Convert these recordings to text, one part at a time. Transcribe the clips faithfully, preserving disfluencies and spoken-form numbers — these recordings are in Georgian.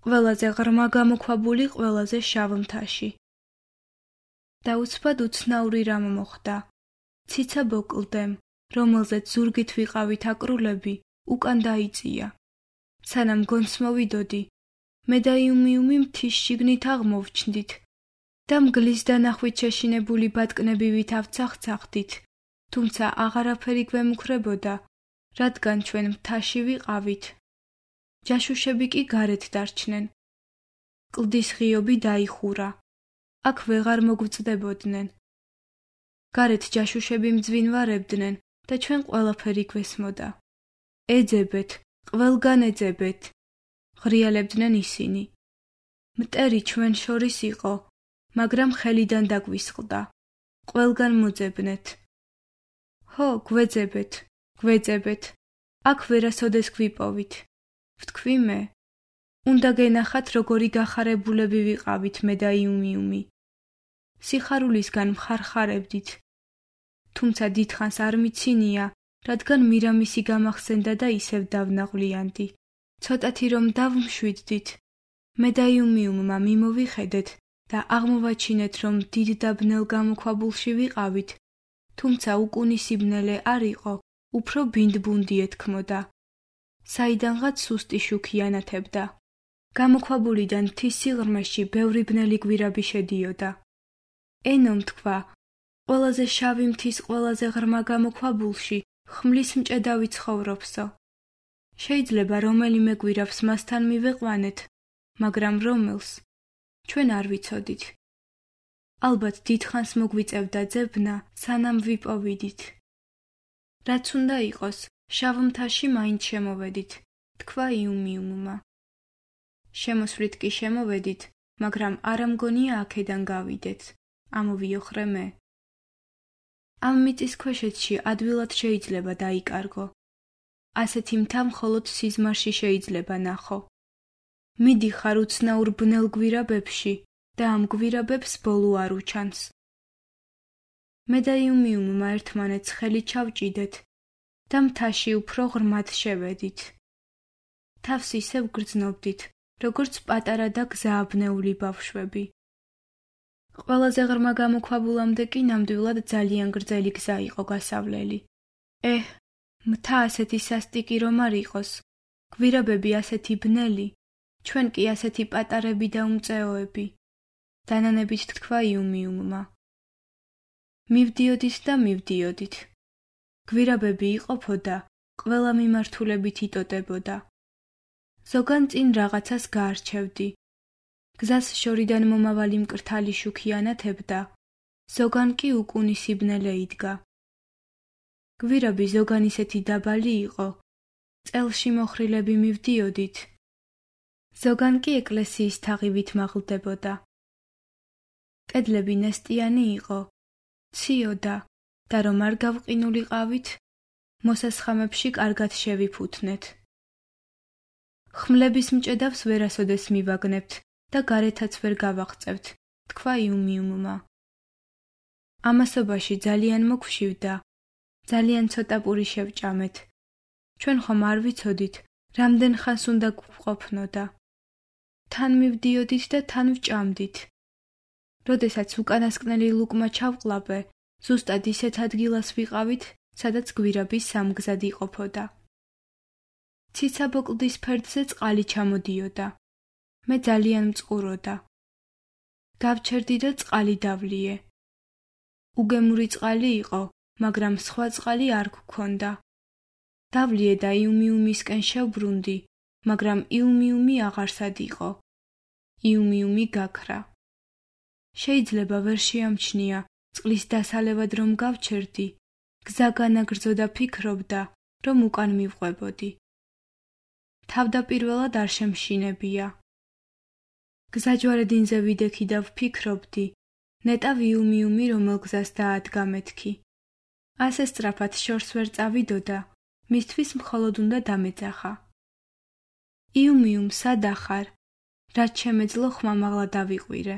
ყველაზე ღრმა გამოქვაბული ყველაზე შავ მთაში. დაუცბად უცნაური რამ მოხდა. ციცა ბოკლდემ, რომელზეც ზურგით ვიყავით აკრულები, უკან დაიწია. სანამ გონს მოვიდოდი, მე და იუმიუმი მთის შიგნით აღმოვჩნდით და მგლის დანახვით შეშინებული ბატკნებივით ავცახცახდით, თუმცა აღარაფერი გვემუქრებოდა, რადგან ჩვენ მთაში ვიყავით. ჯაშუშები კი გარეთ დარჩნენ. კლდის ღიობი დაიხურა. აქ ვეღარ მოგვწდებოდნენ. გარეთ ჯაშუშები მძვინვარებდნენ და ჩვენ ყველაფერი გვესმოდა. ეძებეთ, ყველგან ეძებეთ, ღრიალებდნენ ისინი. მტერი ჩვენ შორის იყო, მაგრამ ხელიდან დაგვისხლდა. ყველგან მოძებნეთ. ჰო, გვეძებეთ, გვეძებეთ, აქ ვერასოდეს გვიპოვით. ვთქვი მე, უნდა გენახათ როგორი გახარებულები ვიყავით მე და იუმიუმი. სიხარულისგან მხარხარებდით, თუმცა დიდხანს არ მიცინია, რადგან მირამისი გამახსენდა და ისევ დავნაღვლიანდი. ცოტათი რომ დავმშვიდდით, მე და იუმიუმმა მიმოვიხედეთ და აღმოვაჩინეთ, რომ დიდ და ბნელ გამოქვაბულში ვიყავით, თუმცა უკუნისიბნელე არ იყო, უფრო ბინდბუნდი ეთქმოდა. საიდანღაც სუსტი შუქი ანათებდა. გამოქვაბულიდან მთის სიღრმეში ბევრი ბნელი გვირაბი შედიოდა. ენომ თქვა, ყველაზე შავი მთის ყველაზე ღრმა გამოქვაბულში ხმლის მჭედავი ცხოვრობსო. შეიძლება რომელიმე გვირაბს მასთან მივეყვანეთ, მაგრამ რომელს ჩვენ არ ვიცოდით. ალბათ დიდხანს მოგვიწევდა ძებნა, სანამ ვიპოვიდით. რაც უნდა იყოს, შავ მთაში მაინც შემოვედით, თქვა იუმიუმმა. შემოსვლით კი შემოვედით, მაგრამ არა მგონია აქედან გავიდეთ, ამოვიოხრე მე. ამ მიწის ქვეშეთში ადვილად შეიძლება დაიკარგო. ასეთი მთა მხოლოდ სიზმარში შეიძლება ნახო. მიდიხარ უცნაურ ბნელ გვირაბებში და ამ გვირაბებს ბოლო არ უჩანს. მე და იუმიუმმა ერთმანეთს ხელი ჩავჭიდეთ და მთაში უფრო ღრმად შევედით. თავს ისევ გრძნობდით, როგორც პატარა და გზააბნეული ბავშვები. ყველაზე ღრმა გამოქვაბულამდე კი ნამდვილად ძალიან გრძელი გზა იყო გასავლელი. ეჰ, მთა ასეთი სასტიკი რომ არ იყოს, გვირაბები ასეთი ბნელი, ჩვენ კი ასეთი პატარები და უმწეოები. დანანებით თქვა იუმიუმმა. მივდიოდით და მივდიოდით. გვირაბები იყოფოდა, ყველა მიმართულებით იტოტებოდა. ზოგან წინ რაღაცას გაარჩევდი. გზას შორიდან მომავალი მკრთალი შუქი ანათებდა, ზოგან კი უკუნისიბნელე იდგა. გვირაბი ზოგან ისეთი დაბალი იყო, წელში მოხრილები მივდიოდით, ზოგან კი ეკლესიის თაღივით მაღლდებოდა. კედლები ნესტიანი იყო, ციოდა და რომ არ გავყინულიყავით, მოსასხამებში კარგად შევიფუთნეთ. ხმლების მჭედავს ვერასოდეს მივაგნებთ და გარეთაც ვერ გავაღწევთ, თქვა იუმიუმმა. ამასობაში ძალიან მოგვშივდა, ძალიან ცოტა პური შევჭამეთ. ჩვენ ხომ არ ვიცოდით, რამდენ ხანს უნდა გვყოფნოდა. თან მივდიოდით და თან ვჭამდით. როდესაც უკანასკნელი ლუკმა ჩავყლაპე, ზუსტად ისეთ ადგილას ვიყავით, სადაც გვირაბი სამგზად იყოფოდა. ციცა ბოკლდის ფერდზე წყალი ჩამოდიოდა. მე ძალიან მწყუროდა. გავჩერდი და წყალი დავლიე. უგემური წყალი იყო, მაგრამ სხვა წყალი არ გქონდა. დავლიე და იუმიუმისკენ შევბრუნდი, მაგრამ იუმიუმი აღარსად იყო. იუმიუმი გაქრა. შეიძლება ვერ შეამჩნია, წყლის დასალევად რომ გავჩერდი, გზა განაგრძო და ფიქრობდა, რომ უკან მივყვებოდი. თავდაპირველად არ შემშინებია. გზაჯვარედინზე ვიდექი და ვფიქრობდი, ნეტავ იუმიუმი რომელ გზას დაადგა მეთქი. ასე სწრაფად შორს ვერ წავიდოდა, მისთვის მხოლოდ უნდა დამეძახა. იუმიუმ, სად ახარ? რაც შემეძლო ხმამაღლა დავიყვირე.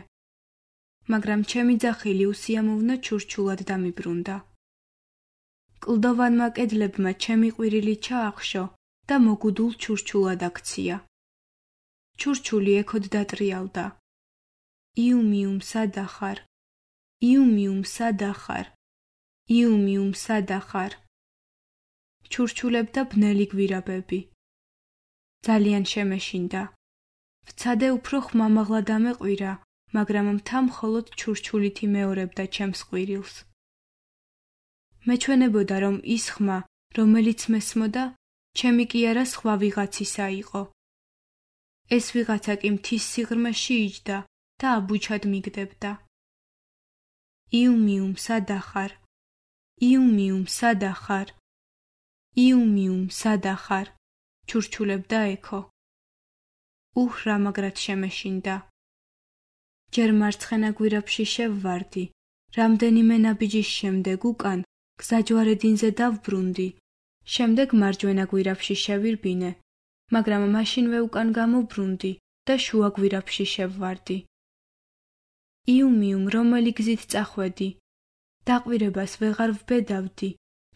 მაგრამ ჩემი ძახილი უსიამოვნო ჩურჩულად დამიბრუნდა. კლდოვანმა კედლებმა ჩემი ყვირილი ჩაახშო და მოგუდულ ჩურჩულად აქცია. ჩურჩული ექოდ დატრიალდა. იუმიუმ სადახარ, იუმიუმ სადახარ, იუმიუმ სადახარ. ჩურჩულებდა ბნელი გვირაბები. ძალიან შემეშინდა. ვცადე უფრო ხმამაღლა დამეყვირა, მაგრამ მთა მხოლოდ ჩურჩულით იმეორებდა ჩემს ყვირილს. მეჩვენებოდა, რომ ის ხმა, რომელიც მესმოდა, ჩემი კი არა სხვა ვიღაცისა იყო. ეს ვიღაცა კი მთის სიღრმეში იჯდა და აბუჩად მიგდებდა. იუმიუმ სადახარ, იუმიუმ სადახარ, იუმიუმ სადახარ, ჩურჩულებდა ექო. უჰ, რა მაგრად შემეშინდა. ჯერ მარცხენა გვირაბში შევვარდი, რამდენიმე ნაბიჯის შემდეგ უკან გზაჯვარედინზე დავბრუნდი, შემდეგ მარჯვენა გვირაბში შევირბინე, მაგრამ მაშინვე უკან გამობრუნდი და შუა გვირაბში შევვარდი. იუმიუმ, რომელი გზით წახვედი? დაყვირებას ვეღარ ვბედავდი,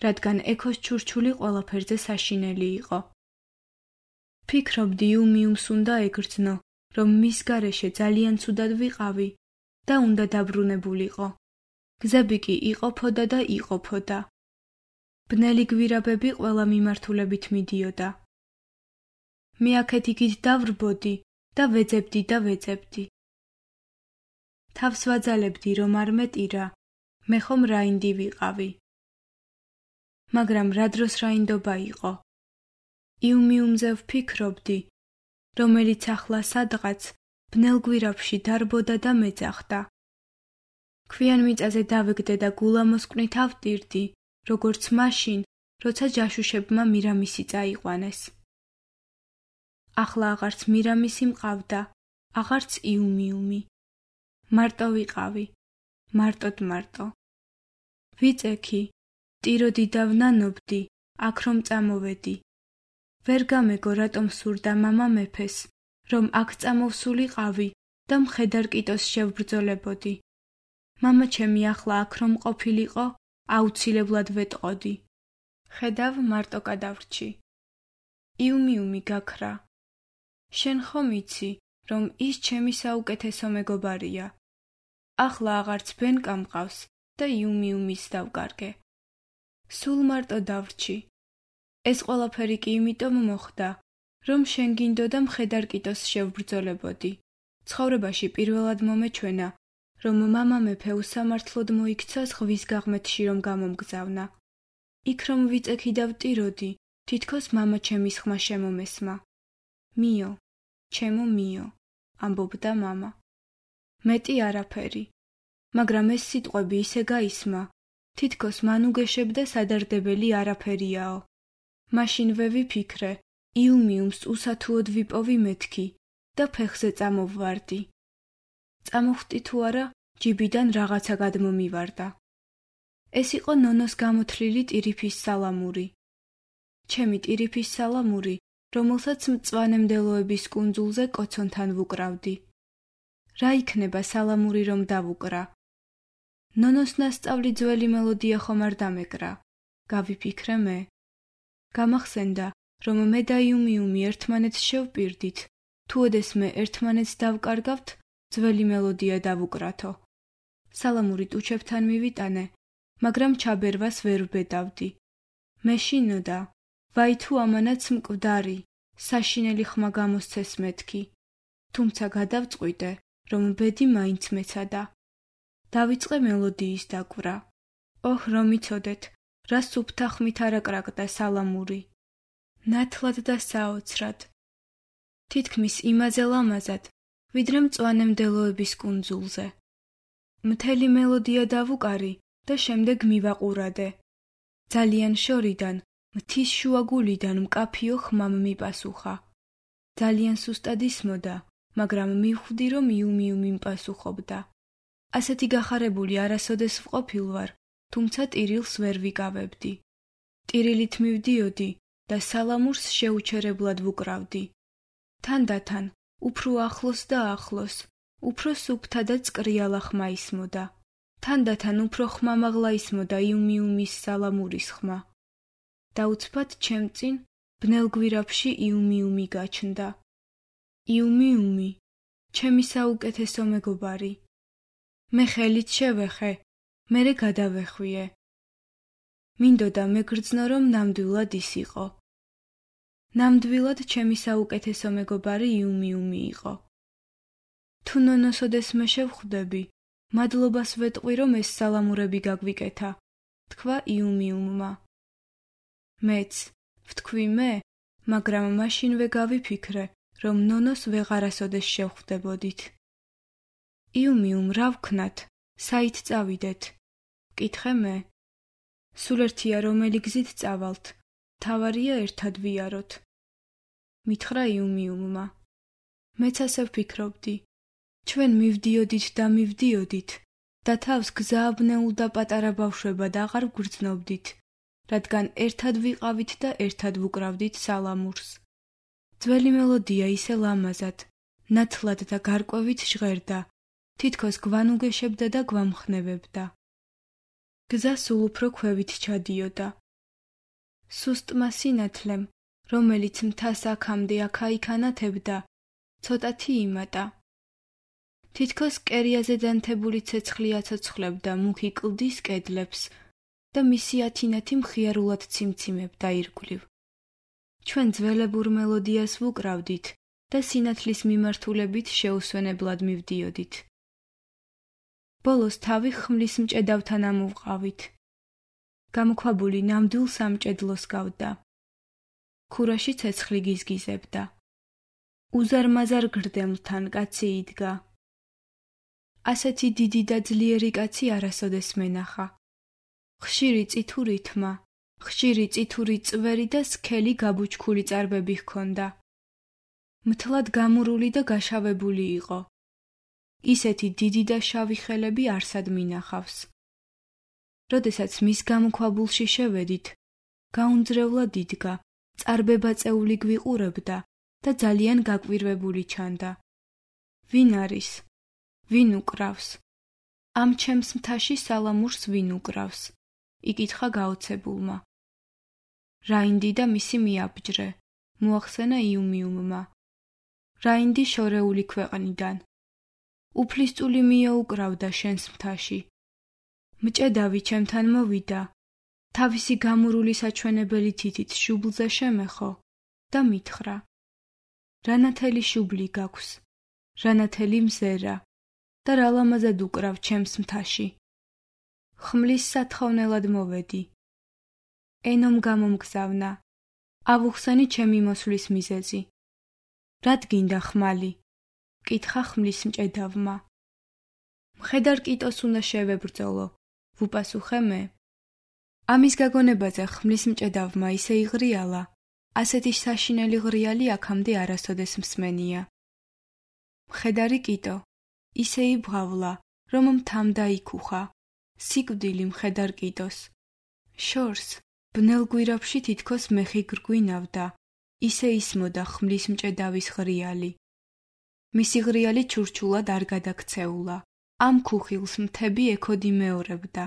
რადგან ექოს ჩურჩული ყველაფერზე საშინელი იყო. ფიქრობდი იუმიუმს უნდა ეგრძნო, რომ მის გარეშე ძალიან ცუდად ვიყავი და უნდა დაბრუნებულიყო. გზები კი იყოფოდა და იყოფოდა. ბნელი გვირაბები ყველა მიმართულებით მიდიოდა. მე აქეთ იქით დავრბოდი და ვეძებდი და ვეძებდი. თავს ვაძალებდი, რომ არ მეტირა, მე ხომ რაინდი ვიყავი. მაგრამ რა დროს რაინდობა იყო? იუმიუმზე ვფიქრობდი, რომელიც ახლა სადღაც ბნელ გვირაბში დარბოდა და მეძახდა. ქვიან მიწაზე დავეგდე და გულამოსკვნით ავტირდი, როგორც მაშინ, როცა ჯაშუშებმა მირამისი წაიყვანეს. ახლა აღარც მირამისი მყავდა, აღარც იუმიუმი. მარტო ვიყავი, მარტოდ მარტო. ვიწექი, ტიროდი და ვნანობდი, აქ რომ წამოვედი. ვერ გამეგო, რატომ სურდა მამა მეფეს, რომ აქ წამოვსულიყავი და მხედარ კიტოს შევბრძოლებოდი. მამა ჩემი ახლა აქ რომ ყოფილიყო, აუცილებლად ვეტყოდი. ხედავ, მარტო გადავრჩი. იუმიუმი გაქრა. შენ ხომ იცი, რომ ის ჩემი საუკეთესო მეგობარია. ახლა აღარც ბენკა მყავს და იუმიუმის დავკარგე. სულ მარტო დავრჩი. ეს ყველაფერი კი იმიტომ მოხდა, რომ შენ გინდოდა მხედარ კიტოს შევბრძოლებოდი. ცხოვრებაში პირველად მომეჩვენა, რომ მამა მეფე უსამართლოდ მოიქცა ზღვის გაღმეთში რომ გამომგზავნა. იქ რომ ვიწექი და ვტიროდი, თითქოს მამა ჩემის ხმა შემომესმა. მიო, ჩემო მიო, ამბობდა მამა. მეტი არაფერი, მაგრამ ეს სიტყვები ისე გაისმა, თითქოს მან უგეშებდა სადარდებელი არაფერიაო. მაშინვე ვიფიქრე, იუმიუმს უსათუოდ ვიპოვი მეთქი და ფეხზე წამოვვარდი. წამოვხტი თუ არა, ჯიბიდან რაღაცა გადმომივარდა. ეს იყო ნონოს გამოთლილი ტირიფის სალამური. ჩემი ტირიფის სალამური, რომელსაც მწვანემდელოების კუნძულზე კოცონთან ვუკრავდი. რა იქნება სალამური რომ დავუკრა? ნონოს ნასწავლი ძველი მელოდია ხომ არ დამეკრა, გავიფიქრე მე. გამახსენდა, რომ მე და იუმიუმი ერთმანეთს შევპირდით, თუ ოდესმე ერთმანეთს დავკარგავთ, ძველი მელოდია დავუკრათო. სალამური ტუჩებთან მივიტანე, მაგრამ ჩაბერვას ვერ ვბედავდი. მეშინოდა, ვაი თუ ამანაც მკვდარი, საშინელი ხმა გამოსცეს მეთქი. თუმცა გადავწყვიტე, რომ ბედი მაინც მეცადა. დავიწყე მელოდიის დაკვრა. ოჰ, რომ იცოდეთ, რა სუფთა ხმით არაკრაკდა სალამური. ნათლად და საოცრად. თითქმის იმაზე ლამაზად, ვიდრე მწვანემდელოების კუნძულზე. მთელი მელოდია დავუკარი და შემდეგ მივაყურადე. ძალიან შორიდან, მთის შუაგულიდან მკაფიო ხმამ მიპასუხა. ძალიან სუსტად ისმოდა, მაგრამ მივხვდი, რომ იუმიუმი მპასუხობდა. ასეთი გახარებული არასოდეს ვყოფილ ვარ, თუმცა ტირილს ვერ ვიკავებდი. ტირილით მივდიოდი და სალამურს შეუჩერებლად ვუკრავდი. თანდათან, უფრო ახლოს და ახლოს, უფრო სუფთა და წკრიალა ხმა ისმოდა. თანდათან უფრო ხმამაღლა ისმოდა იუმიუმის სალამურის ხმა. დაუცბად ჩემ წინ, ბნელ გვირაბში იუმიუმი გაჩნდა. იუმი უმი, ჩემი საუკეთესო მეგობარი. მე ხელით შევეხე, მერე გადავეხვიე. მინდოდა მეგრძნო, რომ ნამდვილად ის იყო. ნამდვილად ჩემი საუკეთესო მეგობარი იუმი უმი იყო. თუ ნონოსოდეს მე შევხვდები, მადლობას ვეტყვი, რომ ეს სალამურები გაგვიკეთა, თქვა იუმი უმმა. მეც, ვთქვი მე, მაგრამ მაშინ ვეგავიფიქრე, რომ ნონოს ვეღარასოდეს შევხვდებოდით. იუმი უმ, რა ვქნათ, საით წავიდეთ? ვკითხე მე. სულ ერთია რომელი გზით წავალთ, მთავარია ერთად ვიაროთ. მითხრა იუმი უმმა. მეც ასე ვფიქრობდი. ჩვენ მივდიოდით და მივდიოდით და თავს გზააბნეულ და პატარა ბავშვებად აღარ ვგრძნობდით, რადგან ერთად ვიყავით და ერთად ვუკრავდით სალამურს. ძველი მელოდია ისე ლამაზად, ნათლად და გარკვევით ჟღერდა, თითქოს გვანუგეშებდა და გვამხნევებდა. გზა სულ უფრო ქვევით ჩადიოდა. სუსტმა სინათლემ, რომელიც მთას აქამდე აქა-იქანათებდა, ცოტათი იმატა. თითქოს კერიაზე დანთებული ცეცხლი აცოცხლებდა მუქი კლდის კედლებს და მისი ათინათი მხიარულად ციმციმებდა ირგვლივ. ჩვენ ძველებურ მელოდიას ვუკრავდით და სინათლის მიმართულებით შეუსვენებლად მივდიოდით. ბოლოს თავი ხმლის მჭედავთან ამოვყავით. გამოქვაბული ნამდვილ სამჭედლოს გავდა. ქურაში ცეცხლი გიზგიზებდა. უზარმაზარ გრდემლთან კაცი იდგა. ასეთი დიდი და ძლიერი კაცი არასოდეს მენახა. ხშირი წითური თმა, ხშირი წითური წვერი და სქელი გაბუჩქული წარბები ჰქონდა. მთლად გამურული და გაშავებული იყო. ისეთი დიდი და შავი ხელები არსად მინახავს. როდესაც მის გამოქვაბულში შევედით, გაუნძრევლად იდგა, წარბებაწეული გვიყურებდა და ძალიან გაკვირვებული ჩანდა. ვინ არის? ვინ უკრავს? ამ ჩემს მთაში სალამურს ვინ უკრავს? იკითხა გაოცებულმა. რაინდი და მისი მიაბჯრე, მოახსენა იუმი უმმა. რაინდი შორეული ქვეყნიდან. უფლისწული მიოუკრავდა შენს მთაში. მჭედავი ჩემთან მოვიდა, თავისი გამურული საჩვენებელი თითით შუბლზე შემეხო და მითხრა. რანათელი შუბლი გაქვს, რანათელი მზერა და რა ლამაზად უკრავ ჩემს მთაში. ხმლის სათხოვნელად მოვედი. ენომ გამომგზავნა, ავუხსენი ჩემი მოსვლის მიზეზი. რად გინდა ხმალი? კითხა ხმლის მჭედავმა. მხედარ კიტოს უნდა შევებრძოლო, ვუპასუხე მე. ამის გაგონებაზე ხმლის მჭედავმა ისე იღრიალა, ასეთი საშინელი ღრიალი აქამდე არასოდეს მსმენია. მხედარი კიტო, ისე იბღავლა, რომ მთამ დაიქუხა, სიკვდილი მხედარ კიტოს. შორს, ბნელ გვირაბში თითქოს მეხი გრგვინავდა, ისე ისმოდა ხმლის მჭედავის ღრიალი. მისი ღრიალი ჩურჩულად არ გადაქცეულა, ამ ქუხილს მთები ექოდი მეორებდა.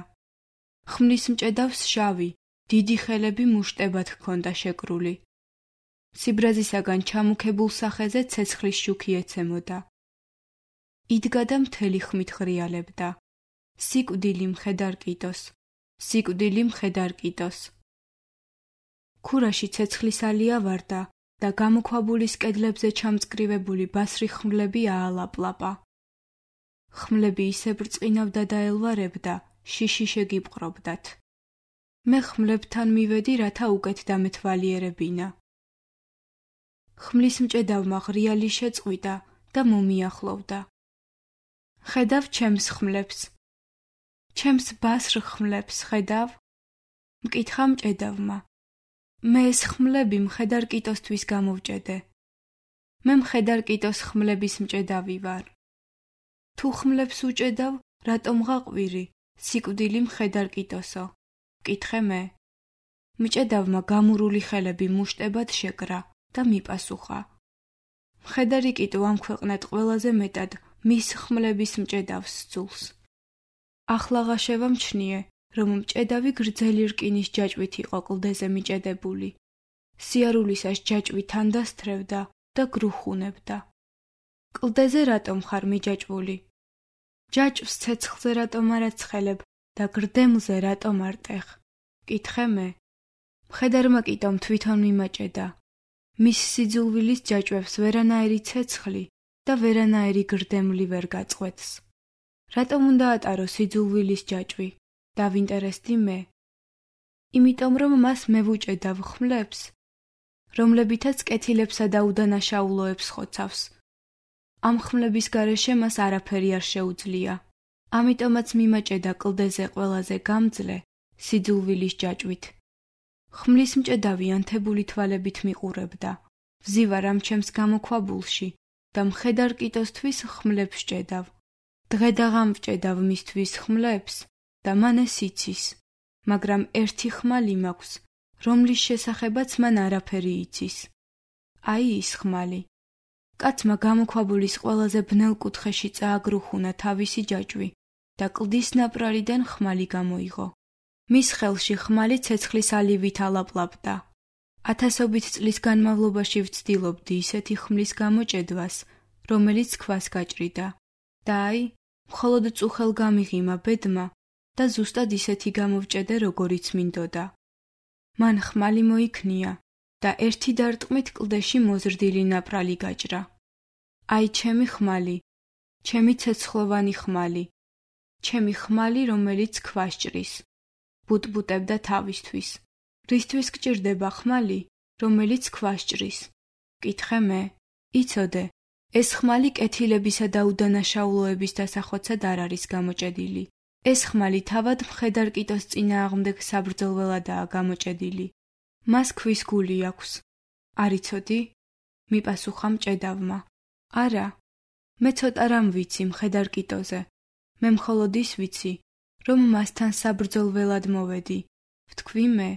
ხმლის მჭედავს შავი, დიდი ხელები მუშტებად ჰქონდა შეკრული. სიბრაზისაგან ჩამუქებულ სახეზე ცეცხლის შუქი ეცემოდა. იდგა და მთელი ხმით ღრიალებდა. სიკვდილი მხედარ კიტოს, სიკვდილი მხედარ კიტოს. ქურაში ცეცხლის ალია ვარდა და გამოქვაბულის კედლებზე ჩამწკრივებული ბასრი ხმლები აალაპლაპა. ხმლები ისე ბრწყინავდა და ელვარებდა, შიში შეგიპყრობდათ. მე ხმლებთან მივედი, რათა უკეთ დამეთვალიერებინა. ხმლის მჭედავმა ღრიალი შეწყვიტა და მომიახლოვდა. ხედავ ჩემს ხმლებს. ჩემს ბასრ ხმლებს ხედავ? მკითხა მჭედავმა. მე ეს ხმლები მხედარ კიტოსთვის გამოვჭედე. მე მხედარ კიტოს ხმლების მჭედავი ვარ. თუ ხმლებს უჭედავ, რატომ გაყვირი, სიკვდილი მხედარ კიტოსო? მკითხე მე. მჭედავმა გამურული ხელები მუშტებად შეკრა და მიპასუხა. მხედარი კიტო ამ ქვეყნად ყველაზე მეტად მის ხმლების მჭედავს სძულს. ახლაღაშევა მჩნიე, რომ მჭედავი გრძელი რკინის ჯაჭვით იყო კლდეზე მიჭედებული. სიარულისას ჯაჭვი თან დასთრევდა და გრუხუნებდა. კლდეზე რატომ ხარ მიჯაჭვული? ჯაჭვს ცეცხლზე რატომ არ აცხელებ და გრდემლზე რატომ არ ტეხ? კითხე მე. მხედარმა კიტომ თვითონ მიმაჭედა. მის სიძულვილის ჯაჭვებს ვერანაირი ცეცხლი და ვერანაირი გრდემლი ვერ გაწყვეტს. რატომ უნდა ატარო სიძულვილის ჯაჭვი? დავინტერესდი მე. იმიტომ რომ მას მევუჭედავ ხმლებს, რომლებითაც კეთილებსა და უდანაშაულოებს ხოცავს. ამ ხმლების გარეშე მას არაფერი არ შეუძლია. ამიტომაც მიმაჭედა კლდეზე ყველაზე გამძლე სიძულვილის ჯაჭვით. ხმლის მჭედავი ანთებული თვალებით მიყურებდა. ვზივარ ამ ჩემს გამოქვაბულში და მხედარ კიტოსთვის ხმლებს ჭედავ. დღე და ღამ ვჭედავ მისთვის ხმლებს და მან ეს იცის, მაგრამ ერთი ხმალი მაქვს, რომლის შესახებაც მან არაფერი იცის. აი ის ხმალი. კაცმა გამოქვაბულის ყველაზე ბნელ კუთხეში წააგრუხუნა თავისი ჯაჭვი და კლდის ნაპრალიდან ხმალი გამოიღო. მის ხელში ხმალი ცეცხლის ალივით ალაპლაპდა. ათასობით წლის განმავლობაში ვცდილობდი ისეთი ხმლის გამოჭედვას, რომელიც ქვას გაჭრიდა. და აი, მხოლოდ წუხელ გამიღიმა ბედმა და ზუსტად ისეთი გამოვჭედე, როგორიც მინდოდა. მან ხმალი მოიქნია და ერთი დარტყმით კლდეში მოზრდილი ნაპრალი გაჭრა. აი ჩემი ხმალი, ჩემი ცეცხლოვანი ხმალი, ჩემი ხმალი, რომელიც ქვას ჭრის. ბუტბუტებდა თავისთვის. რისთვის გჭირდება ხმალი, რომელიც ქვას ჭრის? კითხე მე. იცოდე, ეს ხმალი კეთილებისა და უდანაშაულოების დასახოცად არ არის გამოჭედილი. ეს ხმალი თავად მხედარ კიტოს წინააღმდეგ საბრძოლველადაა გამოჭედილი. მას ქვის გული აქვს. არ იცოდი? მიპასუხა მჭედავმა. არა, მე ცოტა რამ ვიცი მხედარ კიტოზე. მე მხოლოდ ის ვიცი, რომ მასთან საბრძოლველად მოვედი. ვთქვი მე.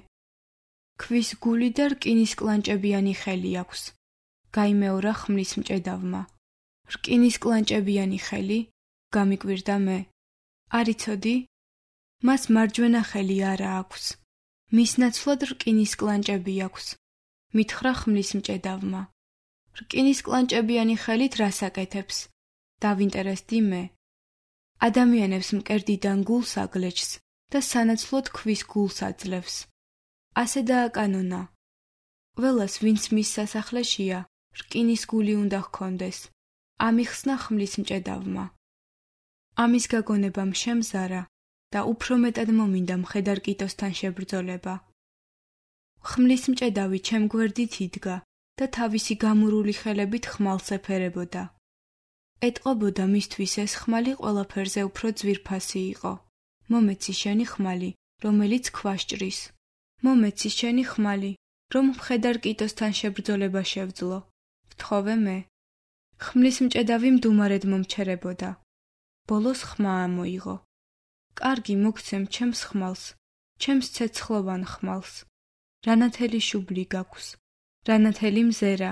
ქვის გული და რკინის კლანჭებიანი ხელი აქვს. გაიმეორა ხმლის მჭედავმა. რკინის კლანჭებიანი ხელი? გამიკვირდა მე. არ იცოდი? მას მარჯვენა ხელი არა აქვს. მის ნაცვლად რკინის კლანჭები აქვს. მითხრა ხმლის მჭედავმა. რკინის კლანჭებიანი ხელით რას აკეთებს? დავინტერესდი მე. ადამიანებს მკერდიდან გულს აგლეჭს და სანაცვლოდ ქვის გულს აძლევს. ასე დააკანონა. ყველას, ვინც მის სასახლეშია, რკინის გული უნდა ჰქონდეს. ამიხსნა ხმლის მჭედავმა. ამის გაგონებამ შემზარა და უფრო მეტად მომინდა მხედარ კიტოსთან შებრძოლება. ხმლის მჭედავი ჩემ გვერდით იდგა და თავისი გამურული ხელებით ხმალს ეფერებოდა. ეტყობოდა მისთვის ეს ხმალი ყველაფერზე უფრო ძვირფასი იყო. მომეცი შენი ხმალი, რომელიც ქვას ჭრის. მომეცი შენი ხმალი, რომ მხედარ კიტოსთან შებრძოლება შევძლო. ვთხოვე მე. ხმლის მჭედავი მდუმარედ მომჩერებოდა. ბოლოს ხმა ამოიღო. კარგი, მოგცემ ჩემს ხმალს, ჩემს ცეცხლოვან ხმალს. რანათელი შუბლი გაქვს, რანათელი მზერა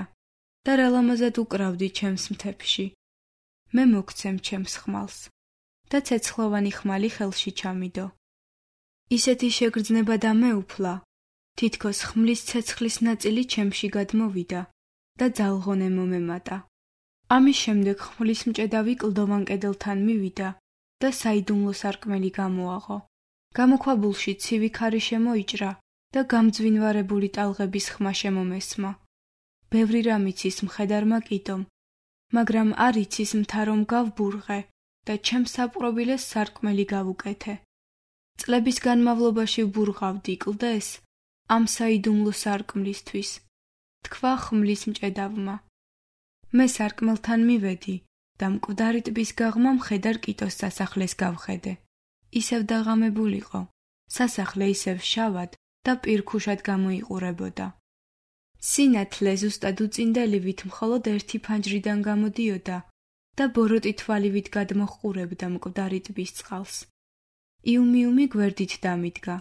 და რა ლამაზად უკრავდი ჩემს მთებში. მე მოგცემ ჩემს ხმალს და ცეცხლოვანი ხმალი ხელში ჩამიდო. ისეთი შეგრძნება და მეუფლა, თითქოს ხმლის ცეცხლის ნაწილი ჩემში გადმოვიდა და ძალღონე მომემატა. ამის შემდეგ ხმლის მჭედავი კლდოვან კედელთან მივიდა და საიდუმლო სარკმელი გამოაღო. გამოქვაბულში ცივი ქარი შემოიჭრა და გამძვინვარებული ტალღების ხმა შემომესმა. ბევრი რამ იცის მხედარმა კიტომ, მაგრამ არ იცის მთა რომ გავბურღე და ჩემს საპყრობილეს სარკმელი გავუკეთე. წლების განმავლობაში ვბურღავდი კლდეს ამ საიდუმლო სარკმლისთვის. თქვა ხმლის მჭედავმა. მე სარკმელთან მივედი და მკვდარი ტბის გაღმა მხედარ კიტოს სასახლეს გავხედე. ისევ დაღამებულიყო. სასახლე ისევ შავად და პირქუშად გამოიყურებოდა. სინათლე ზუსტად უწინდელივით მხოლოდ ერთი ფანჯრიდან გამოდიოდა და ბოროტი თვალივით გადმოჰყურებდა მკვდარი ტბის წყალს. იუმიუმი გვერდით დამიდგა.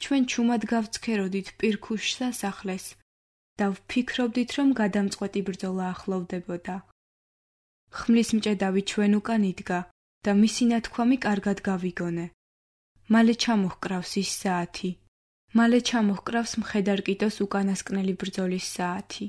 ჩვენ ჩუმად გავცქეროდით პირქუშ სასახლეს და ვფიქრობდით, რომ გადამწყვეტი ბრძოლა ახლოვდებოდა. ხმლის მჭედავი ჩვენ უკან იდგა და მისი ნათქვამი კარგად გავიგონე. მალე ჩამოჰკრავს ის საათი. მალე ჩამოჰკრავს მხედარ კიტოს უკანასკნელი ბრძოლის საათი.